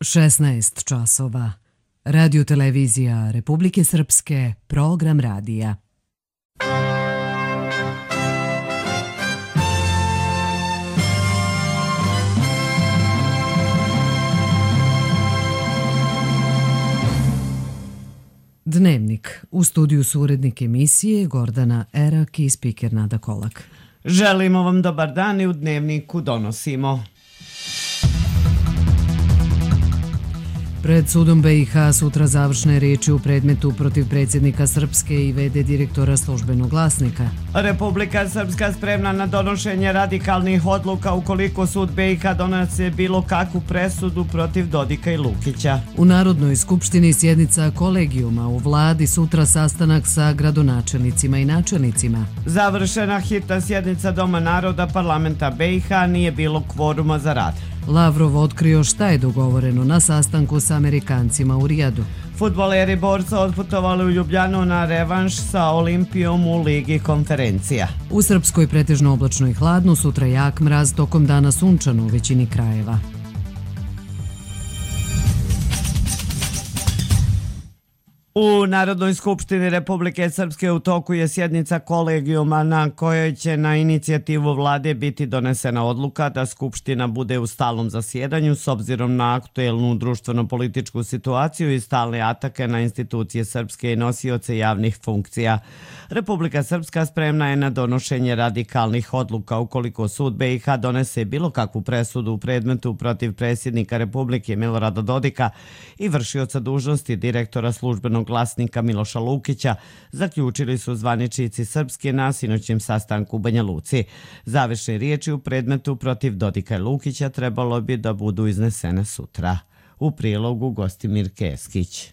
16 časova. Radio televizija Republike Srpske, program radija. Dnevnik. U studiju su urednik emisije Gordana Erak i spiker Nada Kolak. Želimo vam dobar dan i u Dnevniku donosimo. Pred sudom BiH sutra završne riječi u predmetu protiv predsjednika Srpske i v.d. direktora Službenog glasnika. Republika Srpska spremna na donošenje radikalnih odluka ukoliko sud BiH donese bilo kakvu presudu protiv Dodika i Lukića. U Narodnoj skupštini sjednica kolegijuma, u vladi sutra sastanak sa gradonačelnicima i načelnicima. Završena hitna sjednica Doma naroda parlamenta BiH, nije bilo kvoruma za rad. Lavrov otkrio šta je dogovoreno na sastanku sa Amerikancima u Rijadu. Fudbaleri borca otputovali u Ljubljanu na revanš sa Olimpijom u Ligi konferencija. U Srpskoj pretežno oblačno i hladno, sutra jak mraz, tokom dana sunčano u većini krajeva. U Narodnoj skupštini Republike Srpske u toku je sjednica kolegijuma na kojoj će na inicijativu vlade biti donesena odluka da skupština bude u stalnom zasjedanju s obzirom na aktuelnu društveno-političku situaciju i stalne atake na institucije srpske i nosioce javnih funkcija. Republika Srpska spremna je na donošenje radikalnih odluka ukoliko sud BiH donese bilo kakvu presudu u predmetu protiv predsjednika Republike Milorada Dodika i vršioca dužnosti direktora Službenog glasnika Miloša Lukića, zaključili su zvaničnici Srpske na sinoćem sastanku u Banja Luci. Završne riječi u predmetu protiv Dodika i Lukića trebalo bi da budu iznesene sutra. U prilogu Gostimir Keskić.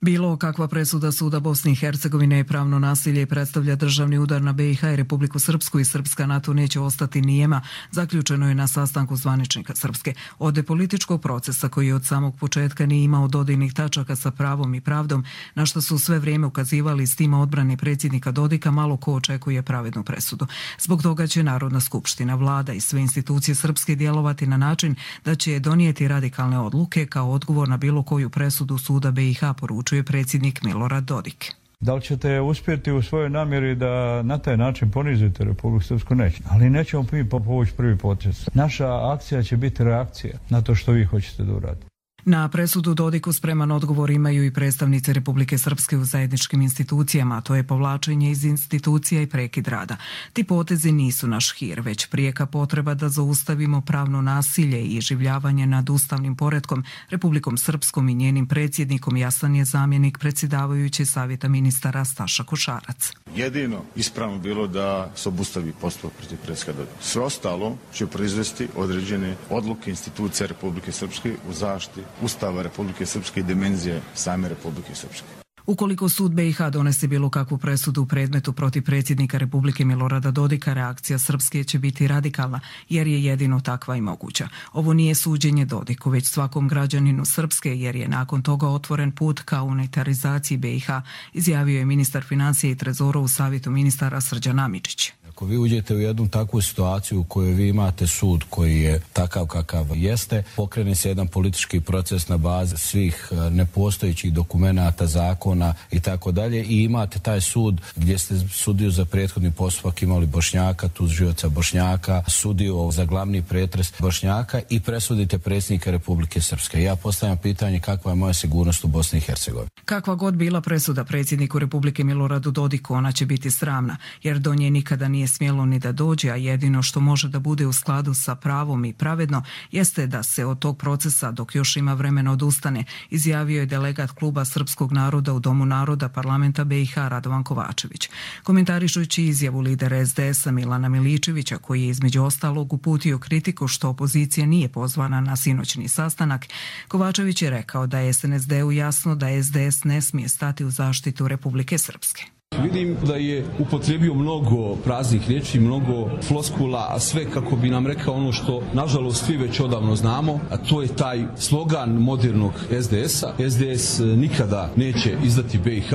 Bilo kakva presuda suda Bosne i Hercegovine je pravno nasilje i predstavlja državni udar na BiH i Republiku Srpsku i Srpska na to neće ostati nijema, zaključeno je na sastanku zvaničnika Srpske. Od političkog procesa koji od samog početka nije imao dodirnih tačaka sa pravom i pravdom, na što su sve vrijeme ukazivali s tima odbrane predsjednika Dodika, malo ko očekuje pravednu presudu. Zbog toga će Narodna skupština, vlada i sve institucije Srpske djelovati na način da će donijeti radikalne odluke kao odgovor na bilo koju presudu suda BiH, poručuje predsjednik Milorad Dodik. Da li ćete uspjeti u svojoj namjeri da na taj način ponizite Republiku Srpsku? Neće. Ali nećemo mi povući prvi potez. Naša akcija će biti reakcija na to što vi hoćete da uradite. Na presudu Dodiku spreman odgovor imaju i predstavnice Republike Srpske u zajedničkim institucijama, a to je povlačenje iz institucija i prekid rada. Ti potezi nisu naš hir, već prijeka potreba da zaustavimo pravno nasilje i iživljavanje nad ustavnim poretkom. Republikom Srpskom i njenim predsjednikom jasan je zamjenik predsjedavajući Savjeta ministara Staša Košarac. Jedino ispravno bilo da se obustavi postupak protiv predsjednika Dodika. Sve ostalo će proizvesti određene odluke institucija Republike Srpske u zaštiti Ustava Republike Srpske i dimenzije same Republike Srpske. Ukoliko sud BiH donese bilo kakvu presudu u predmetu protiv predsjednika Republike Milorada Dodika, reakcija Srpske će biti radikalna, jer je jedino takva i moguća. Ovo nije suđenje Dodiku, već svakom građaninu Srpske, jer je nakon toga otvoren put ka unitarizaciji BiH, izjavio je ministar financija i trezora u Savjetu ministara Srđan Amičić. Ako vi uđete u jednu takvu situaciju u kojoj vi imate sud koji je takav kakav jeste, pokrene se jedan politički proces na bazi svih nepostojećih dokumenata, zakona i tako dalje i imate taj sud gdje ste sudiju za prethodni postupak imali Bošnjaka, tužioca Bošnjaka, sudiju za glavni pretres Bošnjaka i presudite predsjednika Republike Srpske. Ja postavljam pitanje kakva je moja sigurnost u Bosni i Hercegovini. Kakva god bila presuda predsjedniku Republike Miloradu Dodiku, ona će biti sramna, jer do nje nikada nije smjelo ni da dođe, a jedino što može da bude u skladu sa pravom i pravedno jeste da se od tog procesa, dok još ima vremena, odustane, izjavio je delegat Kluba srpskog naroda u Domu naroda parlamenta BiH Radovan Kovačević. Komentarišući izjavu lidera SDS-a Milana Miličevića, koji je između ostalog uputio kritiku što opozicija nije pozvana na sinoćni sastanak, Kovačević je rekao da je SNSD-u jasno da SDS ne smije stati u zaštitu Republike Srpske. Vidim da je upotrijebio mnogo praznih riječi, mnogo floskula, a sve kako bi nam rekao ono što nažalost svi već odavno znamo, a to je taj slogan modernog SDS-a. SDS nikada neće izdati BiH,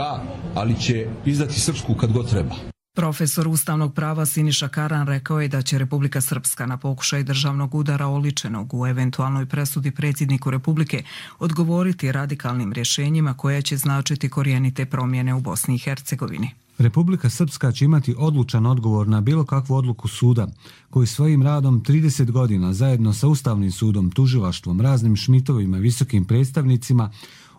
ali će izdati Srpsku kad god treba. Profesor ustavnog prava Siniša Karan rekao je da će Republika Srpska na pokušaj državnog udara oličenog u eventualnoj presudi predsjedniku Republike odgovoriti radikalnim rješenjima koja će značiti korijenite promjene u Bosni i Hercegovini. Republika Srpska će imati odlučan odgovor na bilo kakvu odluku suda, koji svojim radom 30 godina zajedno sa Ustavnim sudom, tužilaštvom, raznim šmitovima, visokim predstavnicima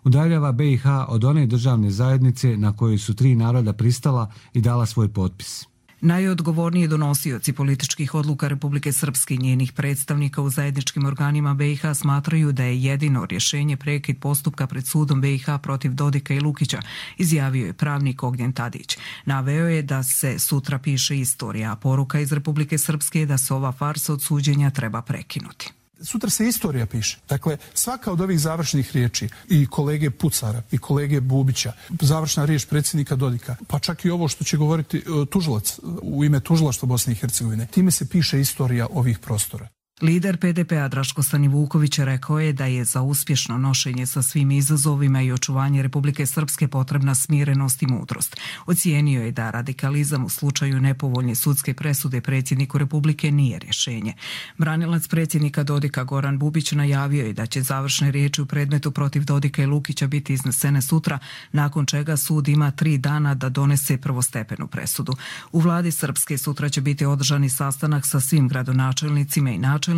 udaljava BiH od one državne zajednice na kojoj su 3 naroda pristala i dala svoj potpis. Najodgovorniji donosioci političkih odluka Republike Srpske i njenih predstavnika u zajedničkim organima BiH smatraju da je jedino rješenje prekid postupka pred sudom BiH protiv Dodika i Lukića, izjavio je pravnik Ognjen Tadić. Naveo je da se sutra piše istorija, a poruka iz Republike Srpske je da se ova farsa od suđenja treba prekinuti. Sutra se istorija piše. Dakle, svaka od ovih završnih riječi i kolege Pucara i kolege Bubića, završna riječ predsjednika Dodika, pa čak i ovo što će govoriti tužilac u ime tužilaštva Bosne i Hercegovine, time se piše istorija ovih prostora. Lider PDP-a Draško Stanivuković rekao je da je za uspješno nošenje sa svim izazovima i očuvanje Republike Srpske potrebna smirenost i mudrost. Ocijenio je da radikalizam u slučaju nepovoljne sudske presude predsjedniku Republike nije rješenje. Branilac predsjednika Dodika Goran Bubić najavio je da će završne riječi u predmetu protiv Dodika i Lukića biti iznesene sutra, nakon čega sud ima 3 dana da donese prvostepenu presudu. U vladi Srpske sutra će biti održani sastanak sa svim gradonačelnicima i načelnicima,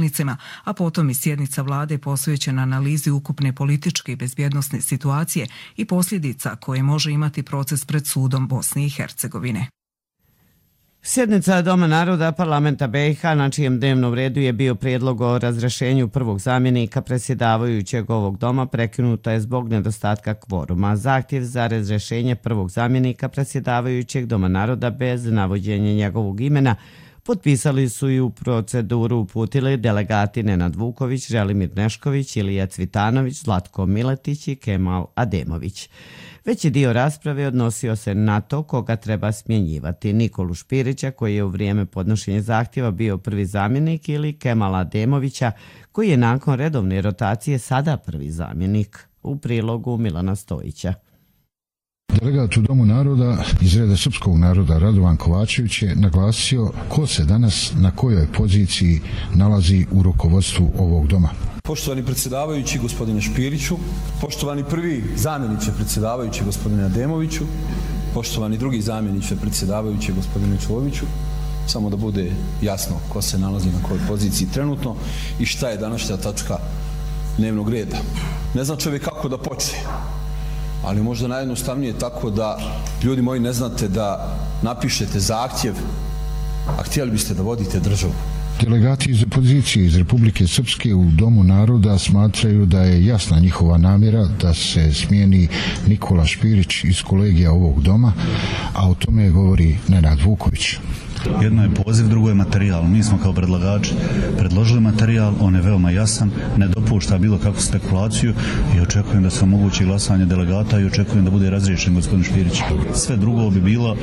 a potom i sjednica vlade posvećena analizi ukupne političke i bezbjednosne situacije i posljedica koje može imati proces pred sudom Bosne i Hercegovine. Sjednica Doma naroda parlamenta BiH na čijem dnevnom redu je bio prijedlog o razrješenju prvog zamjenika predsjedavajućeg ovog doma prekinuta je zbog nedostatka kvoruma. Zahtjev za razrješenje prvog zamjenika predsjedavajućeg Doma naroda bez navođenja njegovog imena potpisali su i u proceduru uputili delegati Nenad Vuković, Želimir Nešković, Ilija Cvitanović, Zlatko Miletić i Kemal Ademović. Veći dio rasprave odnosio se na to koga treba smjenjivati, Nikolu Špirića koji je u vrijeme podnošenja zahtjeva bio prvi zamjenik ili Kemala Ademovića koji je nakon redovne rotacije sada prvi zamjenik, u prilogu Milana Stojića. Delegat u Domu naroda iz reda srpskog naroda Radovan Kovačević je naglasio ko se danas na kojoj poziciji nalazi u rukovodstvu ovog doma. Poštovani predsjedavajući gospodine Špiriću, poštovani prvi zamjeniče predsjedavajući gospodine Ademoviću, poštovani drugi zamjeniče predsjedavajući gospodine Čoviću, samo da bude jasno ko se nalazi na kojoj poziciji trenutno i šta je današnja tačka dnevnog reda. Ne znam čovjek kako da počne, ali možda najjednostavnije tako da, ljudi moji, ne znate da napišete zahtjev, a htjeli biste da vodite državu. Delegati iz opozicije iz Republike Srpske u Domu naroda smatraju da je jasna njihova namjera da se smijeni Nikola Špirić iz kolegija ovog doma, a o tome govori Nenad Vuković. Jedno je poziv, drugo je materijal. Mi smo kao predlagači predložili materijal, on je veoma jasan, ne dopušta bilo kakvu spekulaciju i očekujem da se omogući glasanje delegata i očekujem da bude razriješen gospodin Špirić. Sve drugo bi bilo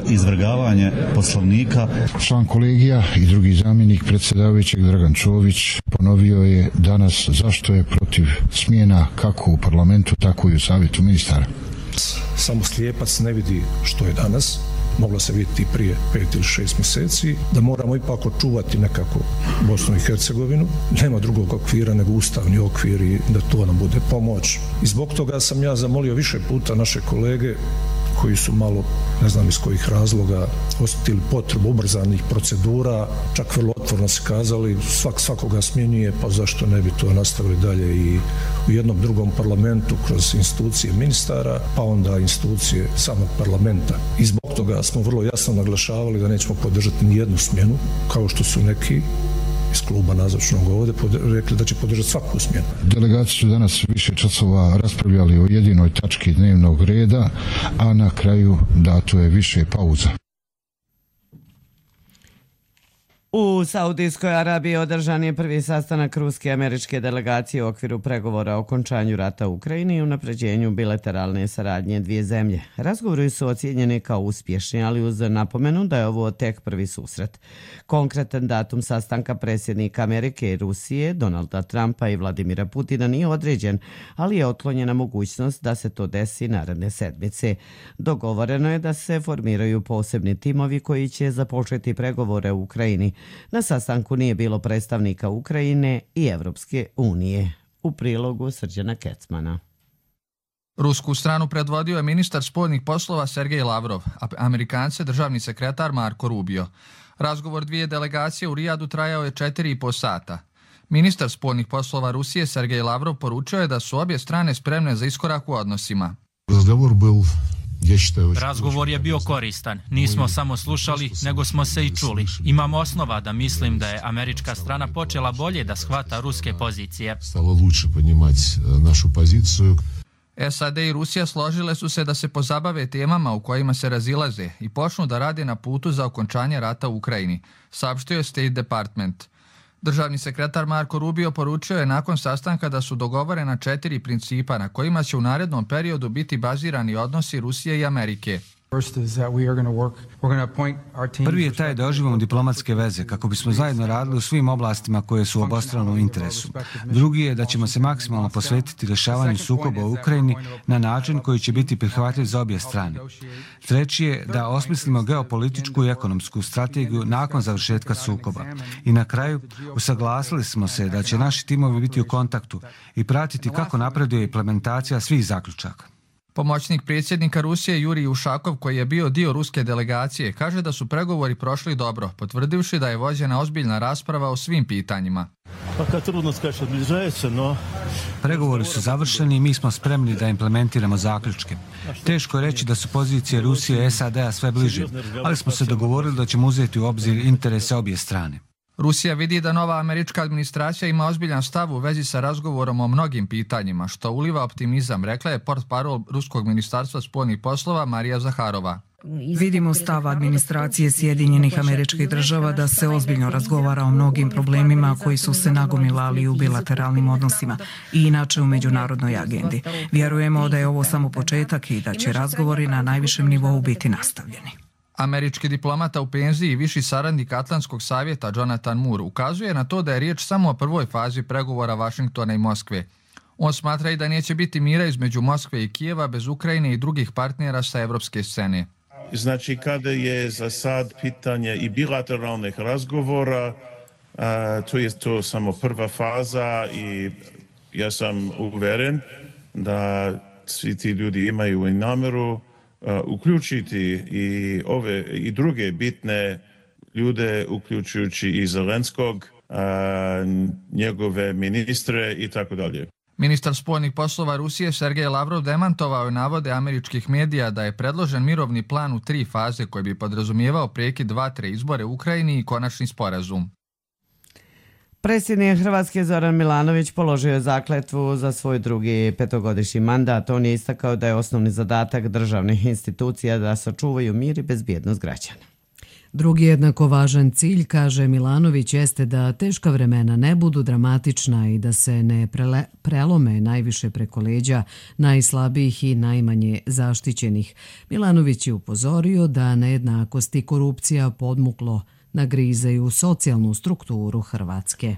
izvrgavanje poslovnika. Član kolegija i drugi zamjenik predsjedavajućeg Dragan Čović ponovio je danas zašto je protiv smjena kako u parlamentu, tako i u savjetu ministara. Samo slijepac ne vidi što je danas, mogla se vidjeti prije 5 ili 6 mjeseci, da moramo ipak očuvati nekako Bosnu i Hercegovinu. Nema drugog okvira nego ustavni okvir i da to nam bude pomoć. I zbog toga sam ja zamolio više puta naše kolege koji su malo, ne znam iz kojih razloga, osjetili potrebu ubrzanih procedura, čak vrlo otvoreno se kazali, svakoga smjenjuje, pa zašto ne bi to nastavili dalje i u jednom drugom parlamentu kroz institucije ministara, pa onda institucije samog parlamenta. I zbog toga smo vrlo jasno naglašavali da nećemo podržati ni jednu smjenu, kao što su neki iz kluba nazočnog ovdje rekli da će podržati svaku smjenu. Delegati su danas više časova raspravljali o jedinoj tački dnevnog reda, a na kraju dato je više pauza. U Saudijskoj Arabiji održan je prvi sastanak ruske i američke delegacije u okviru pregovora o okončanju rata u Ukrajini i unapređenju bilateralne saradnje dvije zemlje. Razgovori su ocijenjeni kao uspješni, ali uz napomenu da je ovo tek prvi susret. Konkretan datum sastanka predsjednika Amerike i Rusije, Donalda Trumpa i Vladimira Putina nije određen, ali je otklonjena mogućnost da se to desi naredne sedmice. Dogovoreno je da se formiraju posebni timovi koji će započeti pregovore u Ukrajini. Na sastanku nije bilo predstavnika Ukrajine i Evropske unije. U prilogu Srđana Kecmana. Rusku stranu predvodio je ministar spoljnih poslova Sergej Lavrov, a Amerikance državni sekretar Marko Rubio. Razgovor dvije delegacije u Rijadu trajao je 4,5 sata. Ministar spoljnih poslova Rusije Sergej Lavrov poručio je da su obje strane spremne za iskorak u odnosima. Razgovor je bio koristan. Nismo samo slušali, nego smo se i čuli. Imam osnova da mislim da je američka strana počela bolje da shvata ruske pozicije. SAD i Rusija složile su se da se pozabave temama u kojima se razilaze i počnu da rade na putu za okončanje rata u Ukrajini, saopštio je State Department. Državni sekretar Marko Rubio poručio je nakon sastanka da su dogovorena 4 principa na kojima će u narednom periodu biti bazirani odnosi Rusije i Amerike. Prvi je taj da oživimo diplomatske veze kako bismo zajedno radili u svim oblastima koje su u obostranom interesu. Drugi je da ćemo se maksimalno posvetiti rješavanju sukoba u Ukrajini na način koji će biti prihvatljiv za obje strane. Treći je da osmislimo geopolitičku i ekonomsku strategiju nakon završetka sukoba. I na kraju usaglasili smo se da će naši timovi biti u kontaktu i pratiti kako napreduje implementacija svih zaključaka. Pomoćnik predsjednika Rusije Jurij Ušakov, koji je bio dio ruske delegacije, kaže da su pregovori prošli dobro, potvrdivši da je vođena ozbiljna rasprava o svim pitanjima. Pregovori su završeni i mi smo spremni da implementiramo zaključke. Teško je reći da su pozicije Rusije i SAD-a sve bliže, ali smo se dogovorili da ćemo uzeti u obzir interese obje strane. Rusija vidi da nova američka administracija ima ozbiljan stav u vezi sa razgovorom o mnogim pitanjima, što uliva optimizam, rekla je portparol Ruskog ministarstva spoljnih poslova Marija Zaharova. Vidimo stav administracije Sjedinjenih Američkih Država da se ozbiljno razgovara o mnogim problemima koji su se nagomilali u bilateralnim odnosima i inače u međunarodnoj agendi. Vjerujemo da je ovo samo početak i da će razgovori na najvišem nivou biti nastavljeni. Američki diplomata u penziji i viši saradnik Atlantskog savjeta Jonathan Moore ukazuje na to da je riječ samo o prvoj fazi pregovora Vašingtona i Moskve. On smatra i da neće biti mira između Moskve i Kijeva bez Ukrajine i drugih partnera sa evropske scene. Znači, kada je za sad pitanje i bilateralnih razgovora, to je to samo prva faza i ja sam uveren da svi ti ljudi imaju i namjeru uključiti i ove i druge bitne ljude, uključujući i Zelenskog, njegove ministre i tako dalje. Ministar spoljnih poslova Rusije Sergej Lavrov demantovao je navode američkih medija da je predložen mirovni plan u 3 faze koji bi podrazumijevao prekid 2-3 izbore u Ukrajini i konačni sporazum. Predsjednik Hrvatske Zoran Milanović položio je zakletvu za svoj drugi 5-godišnji mandat. On je istakao da je osnovni zadatak državnih institucija da sačuvaju mir i bezbjednost građana. Drugi jednako važan cilj, kaže Milanović, jeste da teška vremena ne budu dramatična i da se ne prelome najviše preko leđa najslabijih i najmanje zaštićenih. Milanović je upozorio da nejednakost i korupcija podmuklo nagrizaju socijalnu strukturu Hrvatske.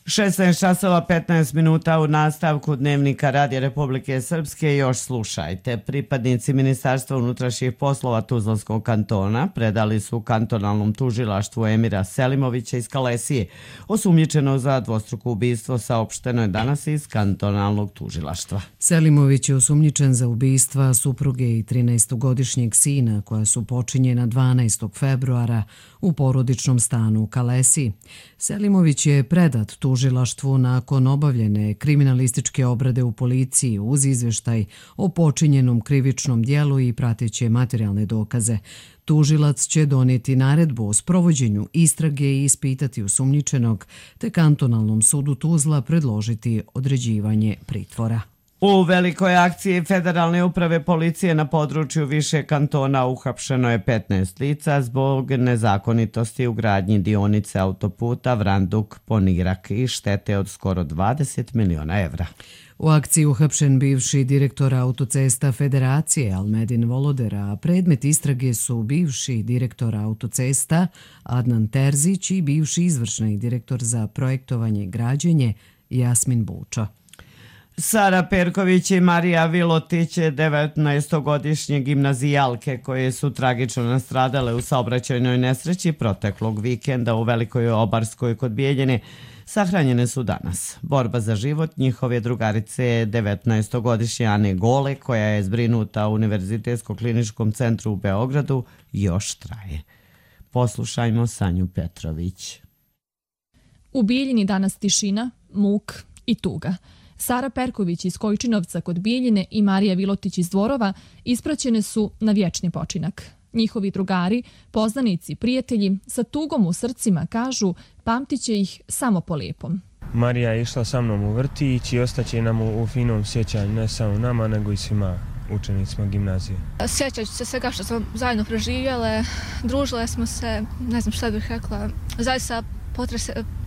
16:15 u nastavku Dnevnika Radija Republike Srpske još slušajte. Pripadnici Ministarstva unutrašnjih poslova Tuzlanskog kantona predali su kantonalnom tužilaštvu Emira Selimovića iz Kalesije. Osumnjičeno za dvostruko ubistvo saopšteno je danas iz kantonalnog tužilaštva. Selimović je osumnjičen za ubistva supruge i 13-godišnjeg sina koja su počinjena 12. februara u porodičnom stanu u Kalesiji. Selimović je predat tužilaštvu nakon obavljene kriminalističke obrade u policiji uz izvještaj o počinjenom krivičnom dijelu i prateće materijalne dokaze. Tužilac će donijeti naredbu o sprovođenju istrage i ispitati osumnjičenog, te kantonalnom sudu Tuzla predložiti određivanje pritvora. U velikoj akciji Federalne uprave policije na području više kantona uhapšeno je 15 lica zbog nezakonitosti u gradnji dionice autoputa Vranduk-Ponirak i štete od skoro 20 miliona evra. U akciji uhapšen bivši direktor autocesta Federacije Almedin Voloder, a predmet istrage su bivši direktor autocesta Adnan Terzić i bivši izvršni direktor za projektovanje i građenje Jasmin Buča. Sara Perković i Marija Vilotić, 19-godišnje gimnazijalke koje su tragično nastradale u saobraćajnoj nesreći proteklog vikenda u Velikoj Obarskoj kod Bijeljine, sahranjene su danas. Borba za život njihove drugarice 19-godišnje Ane Gole, koja je zbrinuta u Univerzitetsko-kliničkom centru u Beogradu, još traje. Poslušajmo Sanju Petrović. U Bijeljini danas tišina, muk i tuga. Sara Perković iz Kojčinovca kod Bijeljine i Marija Vilotić iz Dvorova ispraćene su na vječni počinak. Njihovi drugari, poznanici, prijatelji sa tugom u srcima kažu pamtit će ih samo po lijepom. Marija je išla sa mnom u vrtić i ostaće nam u finom sjećanju, ne samo nama, nego i svima učenicima gimnazije. Sjećat ću se svega što smo zajedno preživjele, družile smo se, ne znam šta bih rekla, zaista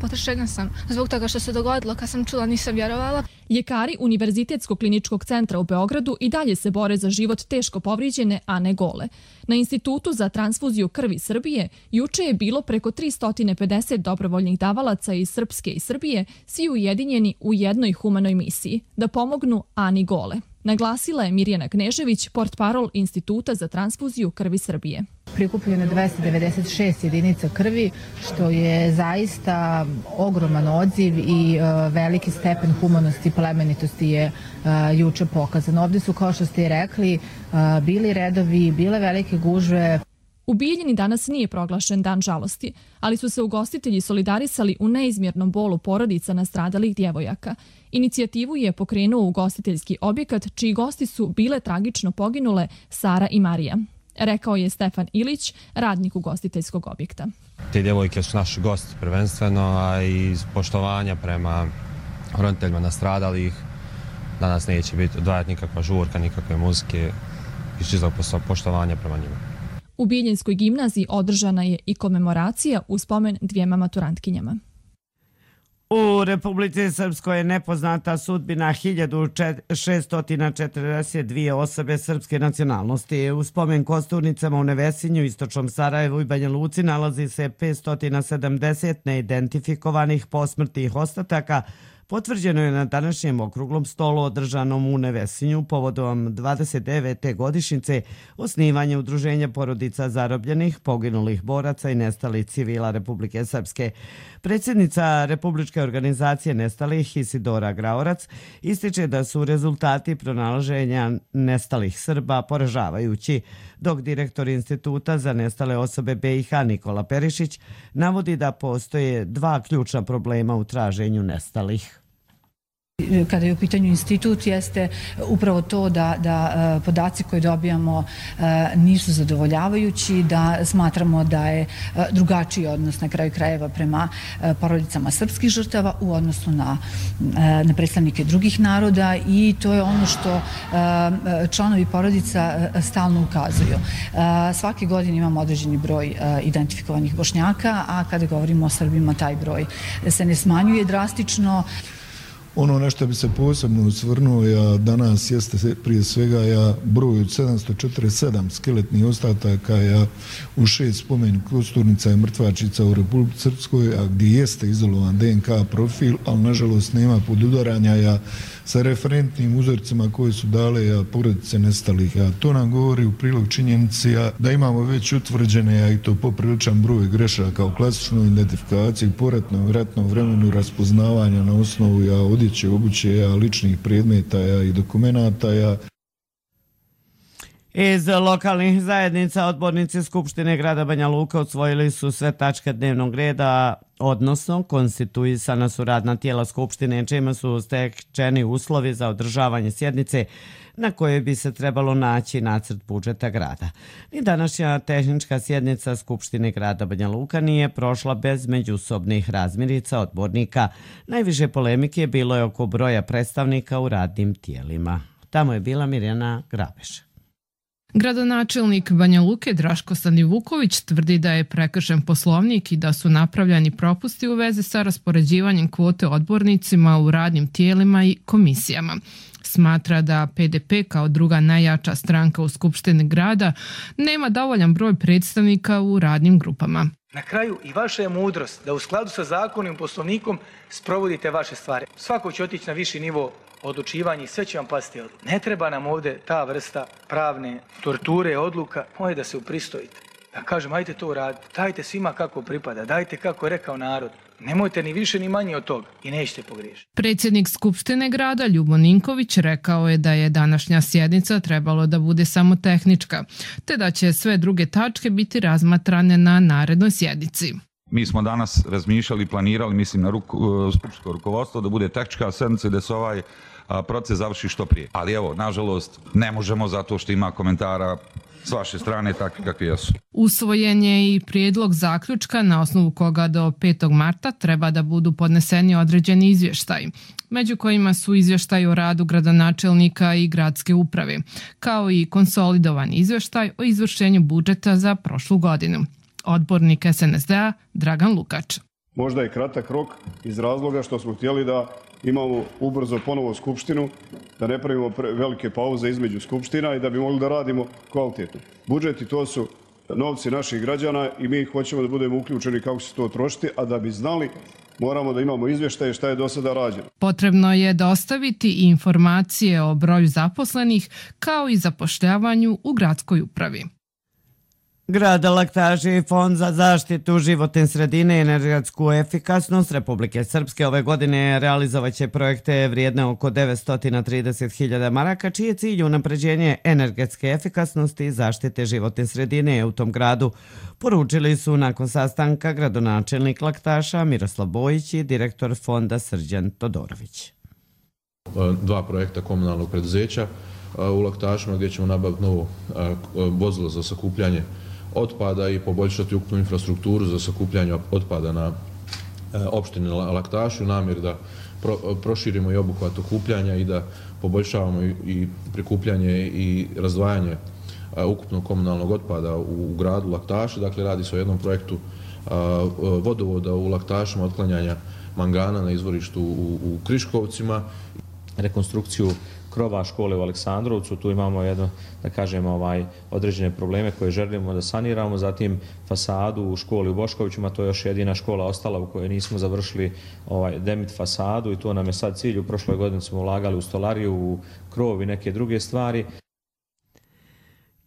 potrešena sam zbog toga što se dogodilo. Kad sam čula, nisam vjerovala. Ljekari Univerzitetskog kliničkog centra u Beogradu i dalje se bore za život teško povrijeđene Ane Gole. Na Institutu za transfuziju krvi Srbije juče je bilo preko 350 dobrovoljnih davalaca iz Srpske i Srbije, svi ujedinjeni u jednoj humanoj misiji, da pomognu Ani Gole. Naglasila je Mirjana Knežević, portparol Instituta za transfuziju krvi Srbije. Prikupljeno 296 jedinica krvi, što je zaista ogroman odziv i veliki stepen humanosti i plemenitosti je juče pokazan. Ovdje su, kao što ste i rekli, bili redovi, bile velike gužve. U Bijeljini danas nije proglašen dan žalosti, ali su se ugostitelji solidarisali u neizmjernom bolu porodica nastradalih djevojaka. Inicijativu je pokrenuo ugostiteljski objekat, čiji gosti su bile tragično poginule Sara i Marija. Rekao je Stefan Ilić, radnik ugostiteljskog objekta. Te djevojke su naši gosti prvenstveno, a iz poštovanja prema roditeljima nastradalih. Danas neće biti odvajati nikakva žurka, nikakve muzike, iz čistog poštovanja prema njima. U Bijeljinskoj gimnaziji održana je i komemoracija u spomen dvijema maturantkinjama. U Republici Srpskoj je nepoznata sudbina 1642 osobe srpske nacionalnosti. U spomen kosturnicama u Nevesinju, Istočnom Sarajevu i Banja Luci nalazi se 570 neidentifikovanih posmrtnih ostataka. Potvrđeno je na današnjem okruglom stolu održanom u Nevesinju povodom 29. godišnjice osnivanja Udruženja porodica zarobljenih, poginulih boraca i nestalih civila Republike Srpske. Predsjednica Republičke organizacije nestalih Isidora Graorac ističe da su rezultati pronalaženja nestalih Srba poražavajući, dok direktor Instituta za nestale osobe BiH Nikola Perišić navodi da postoje dva ključna problema u traženju nestalih. Kada je u pitanju institut, jeste upravo to da podaci koje dobijamo nisu zadovoljavajući, da smatramo da je drugačiji odnos na kraju krajeva prema porodicama srpskih žrtava u odnosu na predstavnike drugih naroda, i to je ono što članovi porodica stalno ukazuju. Svake godine imamo određeni broj identifikovanih Bošnjaka, a kada govorimo o Srbima, taj broj se ne smanjuje drastično. Ono na što bi se posebno osvrnuo danas jeste prije svega broj od 747 skeletnih ostataka u 6 spomen kosturnica i mrtvačica u Republici Srpskoj, a gdje jeste izolovan DNK profil, ali nažalost nema podudaranja sa referentnim uzorcima koje su dale porodice nestalih. To nam govori u prilog činjenici da imamo već utvrđene, i to popriličan broj grešaka u klasičnoj identifikaciji, poratnom ratnom vremenu razpoznavanja na osnovu odjeće, obuće, ličnih predmeta i dokumenata. Iz lokalnih zajednica odbornici Skupštine grada Banja Luka usvojili su sve tačke dnevnog reda, odnosno konstituisana su radna tijela Skupštine, čime su stečeni uslovi za održavanje sjednice na kojoj bi se trebalo naći nacrt budžeta grada. Ni današnja tehnička sjednica Skupštine grada Banja Luka nije prošla bez međusobnih razmirica odbornika. Najviše polemike bilo je oko broja predstavnika u radnim tijelima. Tamo je bila Mirjana Grabeš. Gradonačelnik Banja Luke Draško Stanivuković tvrdi da je prekršen poslovnik i da su napravljeni propusti u vezi sa raspoređivanjem kvote odbornicima u radnim tijelima i komisijama. Smatra da PDP kao druga najjača stranka u Skupštini grada nema dovoljan broj predstavnika u radnim grupama. Na kraju i vaša je mudrost da u skladu sa zakonom i poslovnikom sprovodite vaše stvari. Svako će otići na viši nivo odlučivanja i sve će vam pasti odluka. Ne treba nam ovdje ta vrsta pravne torture, odluka, moje da se upristojite. Da kažem, ajte to uraditi, dajte svima kako pripada, dajte kako je rekao narod. Nemojte ni više ni manje od toga i nećete pogriješiti. Predsjednik Skupštine grada Ljubo Ninković rekao je da je današnja sjednica trebalo da bude samo tehnička, te da će sve druge tačke biti razmatrane na narednoj sjednici. Mi smo danas razmišljali i planirali, mislim na skupštinsko rukovodstvo, da bude tehnička sjednica i da se ovaj proces završi što prije. Ali evo, nažalost, ne možemo zato što ima komentara s vaše strane takvi kakvi jesu. Usvojen je i prijedlog zaključka na osnovu koga do 5. marta treba da budu podneseni određeni izvještaj, među kojima su izvještaj o radu gradonačelnika i gradske uprave, kao i konsolidovan izvještaj o izvršenju budžeta za prošlu godinu. Odbornik SNSD-a Dragan Lukač. Možda je kratak rok iz razloga što smo htjeli da imamo ubrzo ponovo skupštinu, da ne pravimo velike pauze između skupština i da bi mogli da radimo kvalitetno. Budžeti to su novci naših građana i mi hoćemo da budemo uključeni kako će se to trošiti, a da bi znali moramo da imamo izvještaje šta je do sada rađeno. Potrebno je dostaviti i informacije o broju zaposlenih kao i zapošljavanju u gradskoj upravi. Grad Laktaši i Fond za zaštitu životne sredine i energetsku efikasnost Republike Srpske ove godine realizovaće projekte vrijedne oko 930.000 maraka, čiji je cilj unapređenje energetske efikasnosti i zaštite životne sredine u tom gradu. Poručili su nakon sastanka gradonačelnik Laktaša Miroslav Bojić i direktor fonda Srđan Todorović. 2 projekta komunalnog preduzeća u Laktašima gdje ćemo nabaviti novo vozilo za sakupljanje otpada i poboljšati ukupnu infrastrukturu za sakupljanje otpada na opštini Laktaši u namjeri da proširimo i obuhvat okupljanja i da poboljšavamo i prikupljanje i razdvajanje ukupnog komunalnog otpada u gradu Laktaši. Dakle, radi se o jednom projektu vodovoda u Laktašima, otklanjanja mangana na izvorištu u Kriškovcima, rekonstrukciju krova škole u Aleksandrovcu, tu imamo jedno, da kažem, određene probleme koje želimo da saniramo, zatim fasadu u školi u Boškovićima, to je još jedina škola ostala u kojoj nismo završili demit fasadu i to nam je sad cilj. U prošloj godini smo ulagali u stolariju, u krov i neke druge stvari.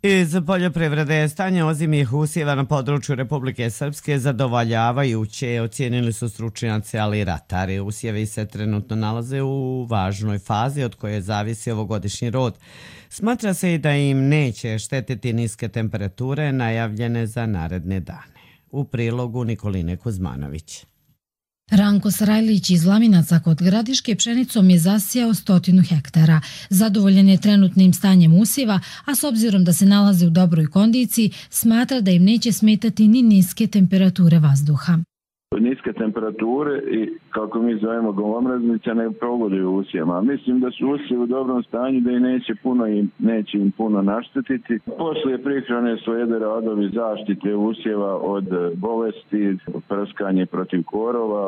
Iz poljoprivrede stanje ozimih usjeva na području Republike Srpske zadovoljavajuće, ocijenili su stručnjaci, ali i ratari. Usjevi se trenutno nalaze u važnoj fazi od koje zavisi ovogodišnji rod. Smatra se i da im neće štetiti niske temperature najavljene za naredne dane. U prilogu Nikoline Kuzmanović. Ranko Sarajlić iz Laminaca kod Gradiške pšenicom je zasijao 100 hektara. Zadovoljen je trenutnim stanjem usjeva, a s obzirom da se nalaze u dobroj kondiciji, smatra da im neće smetati ni niske temperature vazduha. Niske temperature i, kako mi zovemo, golomraznice ne pogoduju usjevima. Mislim da su usjevi u dobrom stanju, da i neće im puno naštetiti. Poslije prihrane slijede radovi zaštite usjeva od bolesti, prskanje protiv korova.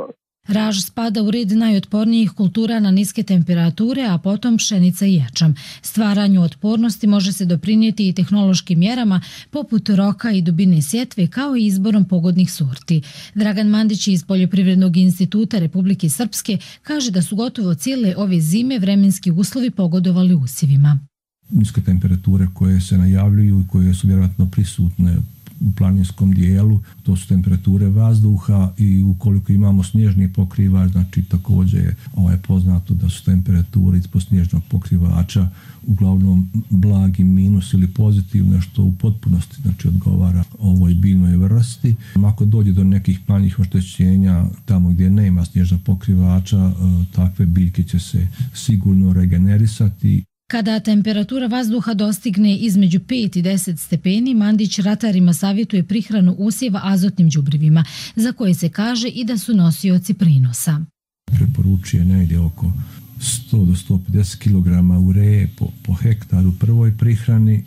Raž spada u red najotpornijih kultura na niske temperature, a potom pšenica i ječam. Stvaranju otpornosti može se doprinijeti i tehnološkim mjerama poput roka i dubine sjetve, kao i izborom pogodnih sorti. Dragan Mandić iz Poljoprivrednog instituta Republike Srpske kaže da su gotovo cijele ove zime vremenski uslovi pogodovali usjevima. Niske temperature koje se najavljuju i koje su vjerojatno prisutne u planinskom dijelu, to su temperature vazduha i ukoliko imamo snježni pokrivač, znači također je poznato da su temperature ispod snježnog pokrivača uglavnom blagi minus ili pozitivne, što u potpunosti znači odgovara ovoj biljnoj vrsti. Ako dođe do nekih manjih oštećenja tamo gdje nema snježnog pokrivača, takve biljke će se sigurno regenerisati. Kada temperatura vazduha dostigne između 5 i 10 stepeni, Mandić ratarima savjetuje prihranu usjeva azotnim đubrivima, za koje se kaže i da su nosioci prinosa. Preporučuje negdje oko 100 do 150 kg ureje po hektaru prvoj prihrani.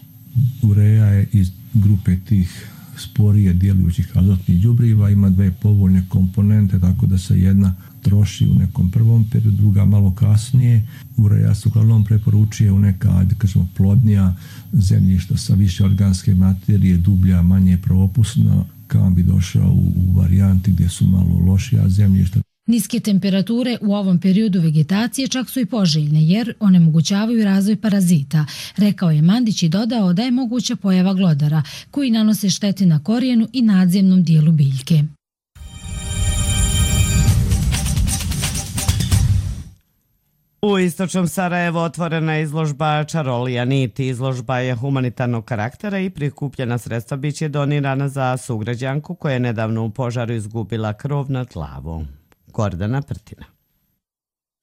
Ureja je iz grupe tih sporije djelujućih azotnih đubriva, ima dve povoljne komponente, tako da se jedna troši u nekom prvom periodu, druga malo kasnije. Ureja se uglavnom preporučuje u neka, kažemo, plodnija zemljišta sa više organske materije, dublja, manje propusna, kao bi došao u varijanti gdje su malo lošija zemljišta. Niske temperature u ovom periodu vegetacije čak su i poželjne jer onemogućavaju razvoj parazita, rekao je Mandić i dodao da je moguća pojava glodara koji nanose štete na korijenu i nadzemnom dijelu biljke. U istočnom Sarajevu otvorena je izložba Čarolija niti. Izložba je humanitarnog karaktera i prikupljena sredstva biće donirana za sugrađanku koja je nedavno u požaru izgubila krov nad glavom. Gordana Prtina.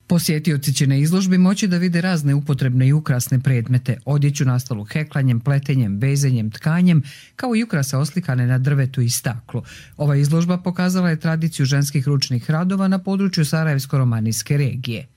Posjetioci će na izložbi moći da vide razne upotrebne i ukrasne predmete, odjeću nastalu heklanjem, pletenjem, vezenjem, tkanjem, kao i ukrase oslikane na drvetu i staklu. Ova izložba pokazala je tradiciju ženskih ručnih radova na području Sarajevsko-romanijske regije.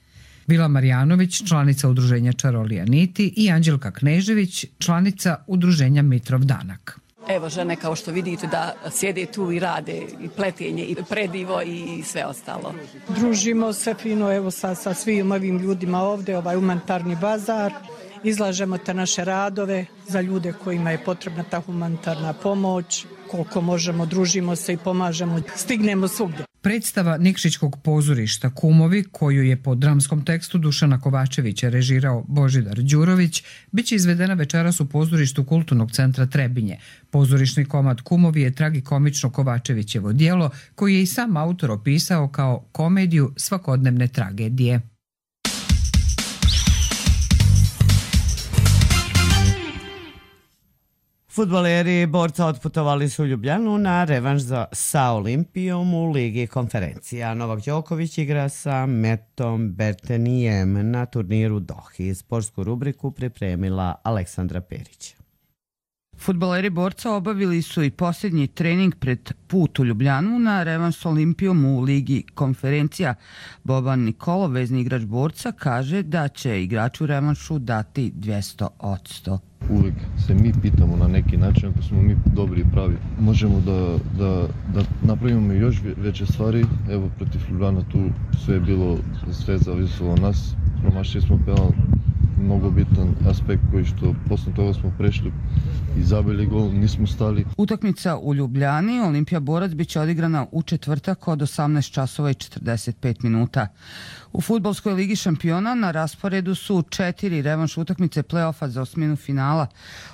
Vila Marjanović, članica udruženja Čarolija niti, i Anđelka Knežević, članica udruženja Mitrov danak. Evo žene, kao što vidite, da sjede tu i rade i pletenje i predivo i sve ostalo. Družimo se fino evo sa svim ovim ljudima ovdje, ovaj humanitarni bazar. Izlažemo te naše radove za ljude kojima je potrebna ta humanitarna pomoć. Koliko možemo, družimo se i pomažemo, stignemo svugdje. Predstava Nikšićkog pozorišta Kumovi, koju je po dramskom tekstu Dušana Kovačevića režirao Božidar Đurović, biće izvedena večeras u pozorištu Kulturnog centra Trebinje. Pozorišni komad Kumovi je tragikomično Kovačevićevo djelo, koji je i sam autor opisao kao komediju svakodnevne tragedije. Fudbaleri Borca otputovali su u Ljubljanu na revanš sa Olimpijom u Ligi konferencija. Novak Đoković igra sa Metom Bertenijem na turniru Dohi. Sportsku rubriku pripremila Aleksandra Perić. Fudbaleri Borca obavili su i posljednji trening pred put u Ljubljanu na revanš s Olimpijom u Ligi konferencija. Boban Nikolo, vezni igrač Borca, kaže da će igraču revanšu dati 200%. Uvijek se mi pitamo na neki način, ako smo mi dobri i pravi. Možemo da napravimo još veće stvari. Evo, protiv Ljubljana tu sve zavisilo od nas. Promašili smo penal, mnogo bitan aspekt koji što posle toga smo prešli i zabili gol, nismo stali. Utakmica u Ljubljani, Olimpija Borac, biće odigrana u četvrtak od 18 časova i 45 minuta. U Fudbalskoj ligi šampiona na rasporedu su 4 revanš utakmice play-offa za osminu finala.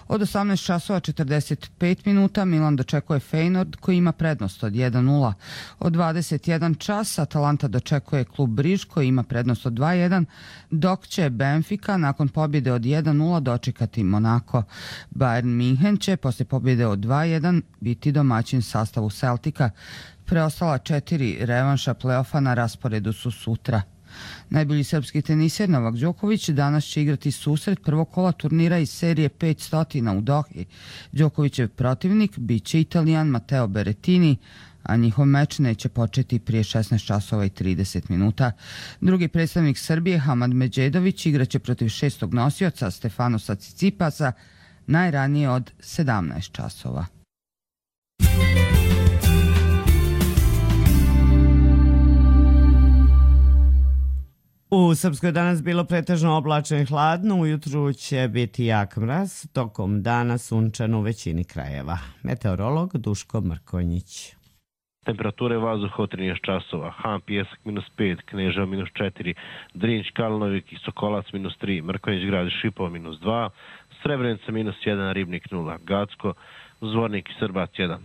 Od 18 časova 45 minuta Milan dočekuje Feyenoord koji ima prednost od 1-0. Od 21 čas Atalanta dočekuje klub Briž koji ima prednost od 2-1, dok će Benfica nakon pobjede od 1-0 dočekati Monako. Bayern Minhen će poslije pobjede od 2-1 biti domaćin sastavu Celtica. Preostala 4 revanša play-offa na rasporedu su sutra. Najbolji srpski teniser Novak Đoković danas će igrati susret prvog kola turnira iz serije 500 u Dohi. Đokovićev protivnik bit će Italijan Matteo Berrettini, a njihov meč neće početi prije 16 časova i 30 minuta. Drugi predstavnik Srbije, Hamad Medžedović, igraće protiv šestog nosioca Stefanosa Cicipasa najranije od 17 časova. U Srpskoj danas bilo pretežno oblačno i hladno, ujutru će biti jak mraz, tokom dana sunčano u većini krajeva. Meteorolog Duško Mrkonjić. Temperature vazduha od 13 časova, Han Pijesak -5, Kneževo -4, Drinć, Kalnovik i Sokolac -3, Mrkonjić grad i Šipovo -2, Srebrenica -1, Ribnik 0, Gacko, Zvornik i Srbac 1,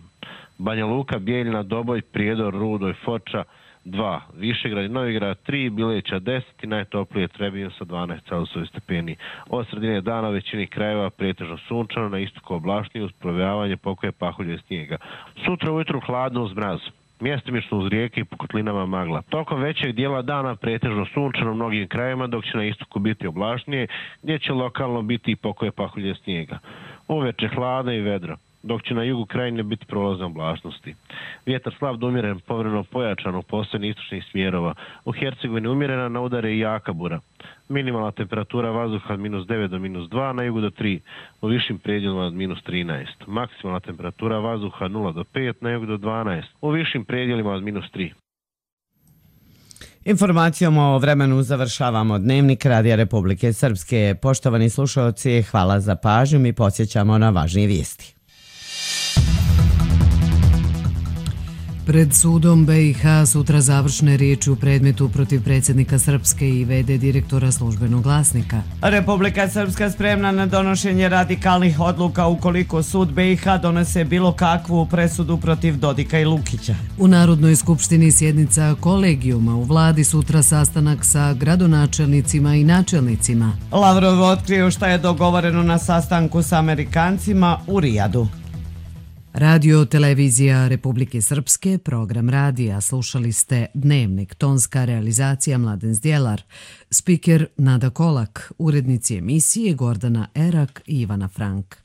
Banja Luka, Bijeljina, Doboj, Prijedor, Rudoj, Foča 2, Višegrad i Novigrad 3, Bileća 10 i najtoplije Trebinje sa 12 celzijusovih stepeni. Od sredine dana većini krajeva pretežno sunčano, na istoku oblačnije uz provejavanje pokoje pahulje i snijega. Sutra ujutru hladno uz mraz. Mjestimično uz rijeke i po kotlinama magla. Tokom većeg dijela dana pretežno sunčano u mnogim krajevima, dok će na istoku biti oblačnije, gdje će lokalno biti i pokoje pahulje snijega. Uveče hladno i vedro, dok će na jugu krajine biti prolazne oblačnosti. Vjetar slab do umjeren, povremeno pojačan u postojni istočnih smjerova. U Hercegovini umjerena, na udare i jaka bura. Minimalna temperatura vazduha od -9 do -2, na jugu do 3, u višim predjelima od -13. Maksimalna temperatura vazduha 0 do 5, na jugu do 12, u višim predjelima od -3. Informacijom o vremenu završavamo Dnevnik Radija Republike Srpske. Poštovani slušalci, hvala za pažnju. Mi podsjećamo na važnije vijesti. Pred sudom BiH sutra završne riječi u predmetu protiv predsjednika Srpske i v.d. direktora Službenog glasnika. Republika Srpska spremna na donošenje radikalnih odluka ukoliko sud BiH donese bilo kakvu presudu protiv Dodika i Lukića. U Narodnoj skupštini sjednica kolegijuma, u vladi sutra sastanak sa gradonačelnicima i načelnicima. Lavrov otkrio šta je dogovoreno na sastanku sa Amerikancima u Rijadu. Radio Televizija Republike Srpske, program radija, slušali ste Dnevnik, tonska realizacija Mladen Zdjelar, spiker Nada Kolak, urednici emisije Gordana Erak i Ivana Frank.